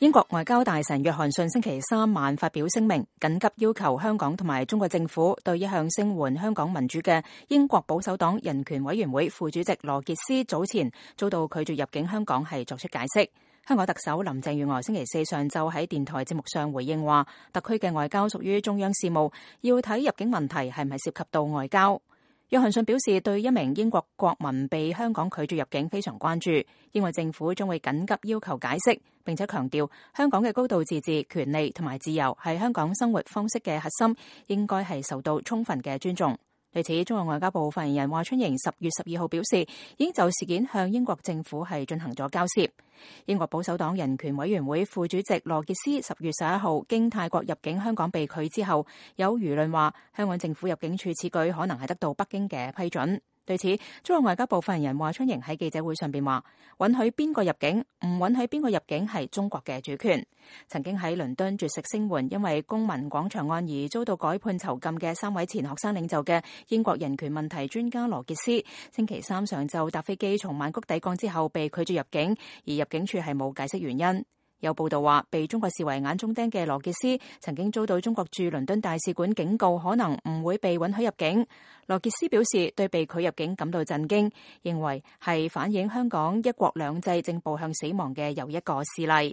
英國外交大臣約翰遜星期三晚發表聲明，緊急要求香港同埋中國政府對一向聲援香港民主嘅英國保守黨人權委員會副主席羅傑斯早前遭到拒絕入境香港係作出解釋。香港特首林鄭月娥星期四上晝喺電台節目上回應話，特區嘅外交屬於中央事務，要睇入境問題係唔係涉及到外交。約翰遜表示對一名英國國民被香港拒絕入境非常關注，英國政府將會緊急要求解釋，並且強調香港嘅高度自治、權利同埋自由係香港生活方式嘅核心，應該係受到充分嘅尊重。對此，中國外交部發言人華春瑩10月12號表示，已經就事件向英國政府係進行咗交涉。英國保守黨人權委員會副主席羅傑斯10月11號經泰國入境香港被拒之後，有輿論話香港政府入境處此舉可能係得到北京嘅批准。對此，中國外交部發言人華春瑩喺記者會上邊話，允許邊個入境，唔允許邊個入境係中國嘅主權。曾經喺倫敦絕食聲援因為公民廣場案而遭到改判囚禁嘅3位前學生領袖嘅英國人權問題專家羅傑斯，星期三上晝搭飛機從曼谷抵港之後被拒絕入境，而入境處係冇解釋原因。有報道話，被中國視為眼中釘嘅羅傑斯曾經遭到中國駐倫敦大使館警告，可能唔會被允許入境。羅傑斯表示對被拒入境感到震驚，認為係反映香港一國兩制正步向死亡嘅又一個事例。